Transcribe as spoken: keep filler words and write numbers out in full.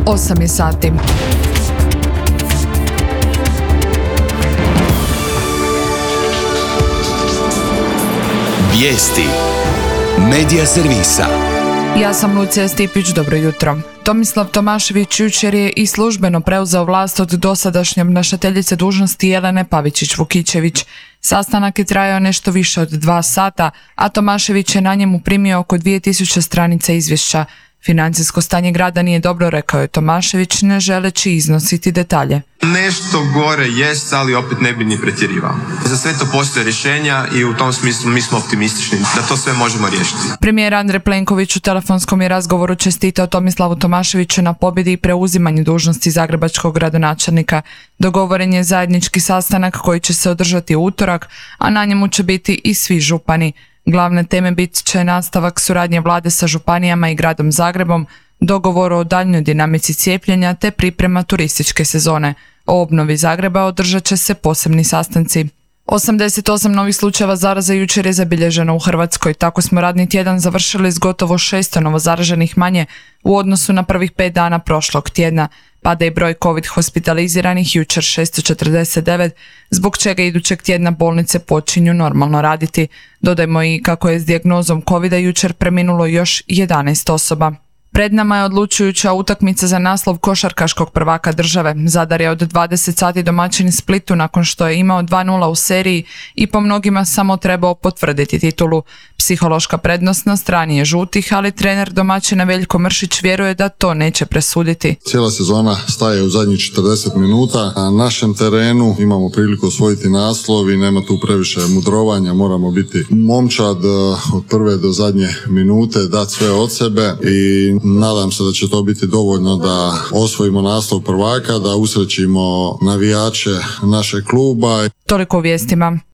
osam je sati. Vijesti Medija servisa. Ja sam Lucija Stipić, dobro jutro. Tomislav Tomašević jučer je i službeno preuzeo vlast od dosadašnje obnašateljice dužnosti Jelene Pavičić-Vukičević. Sastanak je trajao nešto više od dva sata, a Tomašević je na njemu primio oko dvije tisuće stranica izvješća. Financijsko stanje grada nije dobro, rekao je Tomašević, ne želeći iznositi detalje. Nešto gore jest, ali opet ne bi ni pretjerivao. Za sve to postoje rješenja i u tom smislu mi smo optimistični da to sve možemo riješiti. Premijer Andrej Plenković u telefonskom je razgovoru čestitao Tomislavu Tomaševiću na pobjedi i preuzimanju dužnosti zagrebačkog gradonačelnika. Dogovoren je zajednički sastanak koji će se održati u utorak, a na njemu će biti i svi župani. Glavne teme bit će nastavak suradnje vlade sa županijama i gradom Zagrebom, dogovor o daljnjoj dinamici cijepljenja te priprema turističke sezone. O obnovi Zagreba održat će se posebni sastanci. osamdeset osam novih slučajeva zaraze jučer je zabilježeno u Hrvatskoj. Tako smo radni tjedan završili s gotovo šesto novozaraženih manje u odnosu na prvih pet dana prošlog tjedna. Pada i broj covid hospitaliziranih, jučer šesto četrdeset devet, zbog čega idućeg tjedna bolnice počinju normalno raditi. Dodajmo i kako je s dijagnozom covida jučer preminulo još jedanaest osoba. Pred nama je odlučujuća utakmica za naslov košarkaškog prvaka države. Zadar je od dvadeset sati domaćin Splitu nakon što je imao dva nula u seriji i po mnogima samo trebao potvrditi titulu. Psihološka prednost na strani je žutih, ali trener domaćina Veljko Mršić vjeruje da to neće presuditi. Cijela sezona staje u zadnjih četrdeset minuta. Na našem terenu imamo priliku osvojiti naslov i nema tu previše mudrovanja. Moramo biti momčad od prve do zadnje minute, dati sve od sebe i nadam se da će to biti dovoljno da osvojimo naslov prvaka, da usrećimo navijače našeg kluba. Toliko u vijestima.